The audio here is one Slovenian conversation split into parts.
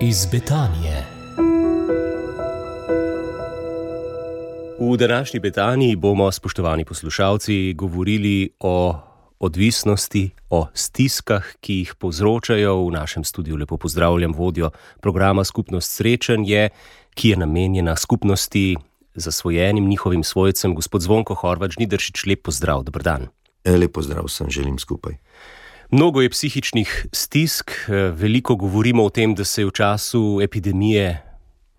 iz Betanije. V današnji Betaniji bomo, spoštovani poslušalci, govorili o odvisnosti, o stiskah, ki jih povzročajo. V našem studiu lepo pozdravljam vodjo programa Skupnost srečanje, ki je namenjena skupnosti zasvojenim njihovim svojcem, gospod Zvonko Horvat Žnidaršič. Lep pozdrav, dober dan. Lep pozdrav vsem želim skupaj. Mnogo je psihičnih stisk, veliko govorimo o tem, da se je v času epidemije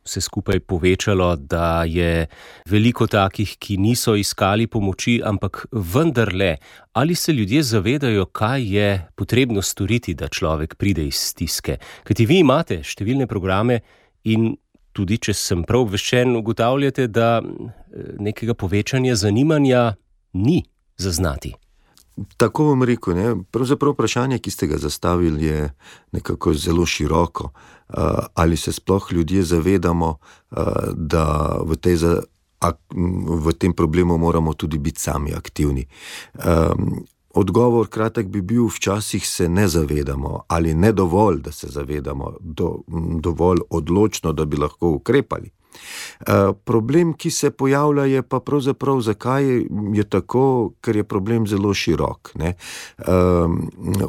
vse skupaj povečalo, da je veliko takih, ki niso iskali pomoči, ampak vendarle, ali se ljudje zavedajo, kaj je potrebno storiti, da človek pride iz stiske? Kajti vi imate številne programe in tudi, če sem prav obveščen, ugotavljate, da nekega povečanja zanimanja ni zaznati. Tako bom rekel, ne? Pravzaprav vprašanje, ki ste ga zastavili, je nekako zelo široko. Ali se sploh ljudje zavedamo, da v tem problemu moramo tudi biti sami aktivni. Odgovor kratek bi bil, včasih se ne zavedamo ali ne dovolj, da se zavedamo, dovolj odločno, da bi lahko ukrepali. Problem, ki se pojavlja, je pa pravzaprav, zakaj je tako, ker je problem zelo širok. Ne?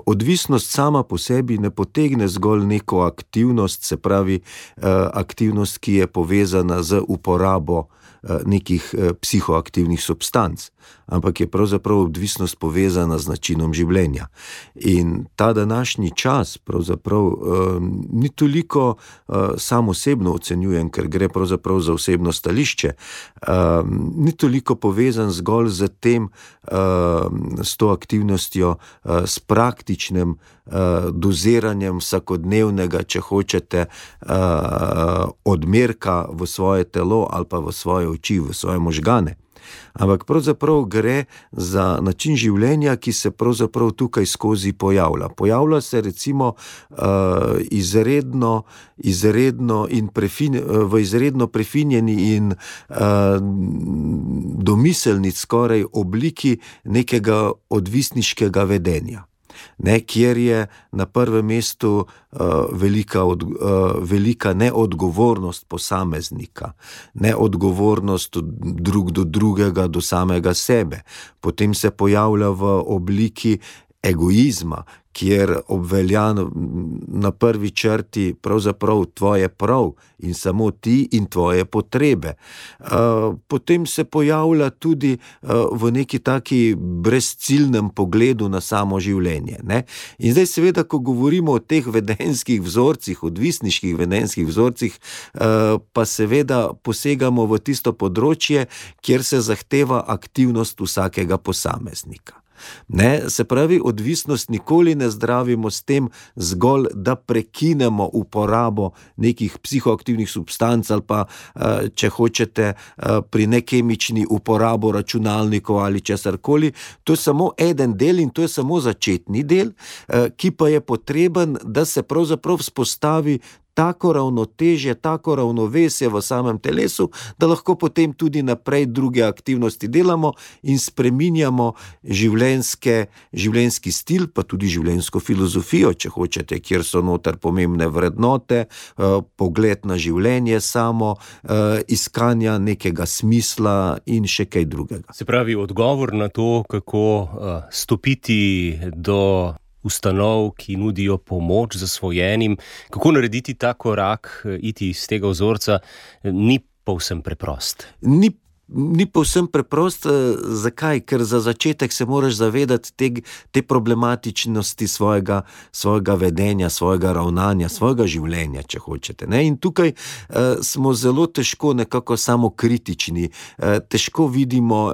Odvisnost sama po sebi ne potegne zgolj neko aktivnost, se pravi aktivnost, ki je povezana z uporabo nekih psihoaktivnih substanc, ampak je pravzaprav odvisnost povezana z načinom življenja. In ta današnji čas pravzaprav ni toliko sam osebno ocenjujem, ker gre pravzaprav za osebno stališče, ni toliko povezan zgolj z tem, s to aktivnostjo, s praktičnim doziranjem vsakodnevnega, če hočete, odmerka v svoje telo ali pa v svoje oči, v svoje možgane. Ampak pravzaprav gre za način življenja, ki se pravzaprav tukaj skozi pojavlja. Pojavlja se recimo v izredno prefinjeni in domiselni skoraj obliki nekega odvisniškega vedenja. Ne, kjer je na prvem mestu velika neodgovornost posameznika, neodgovornost drug do drugega, do samega sebe. Potem se pojavlja v obliki egoizma, kjer obvelja na prvi črti pravzaprav tvoje prav in samo ti in tvoje potrebe. Potem se pojavlja tudi v neki taki brezciljnem pogledu na samo življenje. Ne? In zdaj seveda, ko govorimo o teh vedenjskih vzorcih, odvisniških vedenjskih vzorcih, pa seveda posegamo v tisto področje, kjer se zahteva aktivnost vsakega posameznika. Ne, se pravi, odvisnost nikoli ne zdravimo s tem zgolj, da prekinemo uporabo nekih psihoaktivnih substanc ali pa, če hočete, pri nekemični uporabo računalnikov ali česarkoli. To je samo eden del in to je samo začetni del, ki pa je potreben, da se pravzaprav vzpostavi tako ravnotežje, tako ravnovesje v samem telesu, da lahko potem tudi naprej druge aktivnosti delamo in spreminjamo življenjski stil, pa tudi življenjsko filozofijo, če hočete, kjer so noter pomembne vrednote, pogled na življenje samo, iskanja nekega smisla in še kaj drugega. Se pravi, odgovor na to, kako stopiti do ustanov, ki nudijo pomoč zasvojenim, kako narediti ta korak, iti iz tega vzorca, ni povsem preprost. Ni povsem preprost. Zakaj? Ker za začetek se moraš zavedati te problematičnosti svojega vedenja, svojega ravnanja, svojega življenja, če hočete. Ne? In tukaj smo zelo težko nekako samokritični, težko vidimo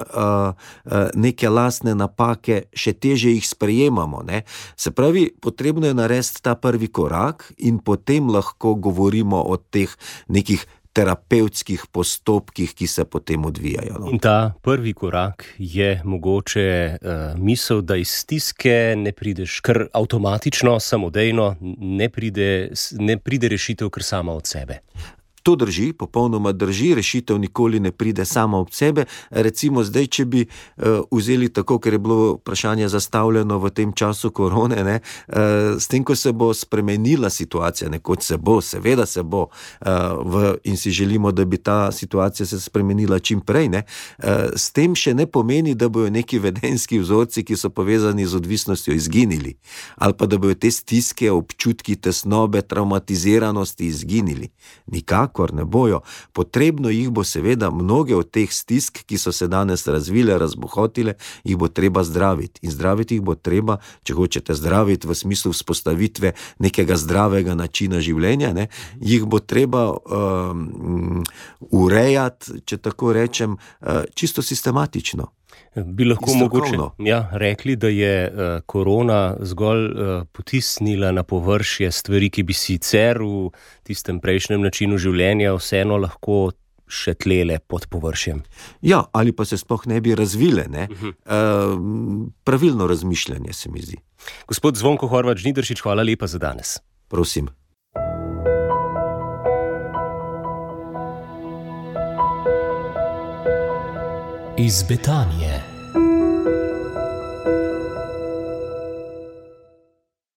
neke lastne napake, še težje jih sprejemamo. Ne? Se pravi, potrebno je narediti ta prvi korak in potem lahko govorimo o teh nekih terapevtskih postopkih, ki se potem odvijajo. No. In ta prvi korak je mogoče misel, da iz stiske ne prideš kar avtomatično, samodejno, ne pride rešitev kar sama od sebe. To drži, popolnoma drži, rešitev nikoli ne pride sama od sebe. Recimo zdaj, če bi vzeli tako, ker je bilo vprašanje zastavljeno v tem času korone, ne, s tem, ko se bo spremenila situacija, nekoč se bo, seveda se bo, in si želimo, da bi ta situacija se spremenila čim prej, ne, s tem še ne pomeni, da bojo neki vedenjski vzorci, ki so povezani z odvisnostjo, izginili, ali pa da bojo te stiske, občutki tesnobe, traumatiziranosti izginili. Nikakor ne bojo. Potrebno jih bo seveda, mnoge od teh stisk, ki so se danes razvile, razbohotile, jih bo treba zdraviti. In zdraviti jih bo treba, če hočete zdraviti v smislu vzpostavitve nekega zdravega načina življenja, ne, jih bo treba urejati, če tako rečem, čisto sistematično. Bi lahko mogoče rekli, da je korona zgolj potisnila na površje stvari, ki bi sicer v tistem prejšnjem načinu življenja vseeno lahko še tlele pod površjem. Ja, ali pa se sploh ne bi razvile, ne? Pravilno razmišljanje se mi zdi. Gospod Zvonko Horvat Žnidaršič, hvala lepa za danes. Prosim. Iz Betanije.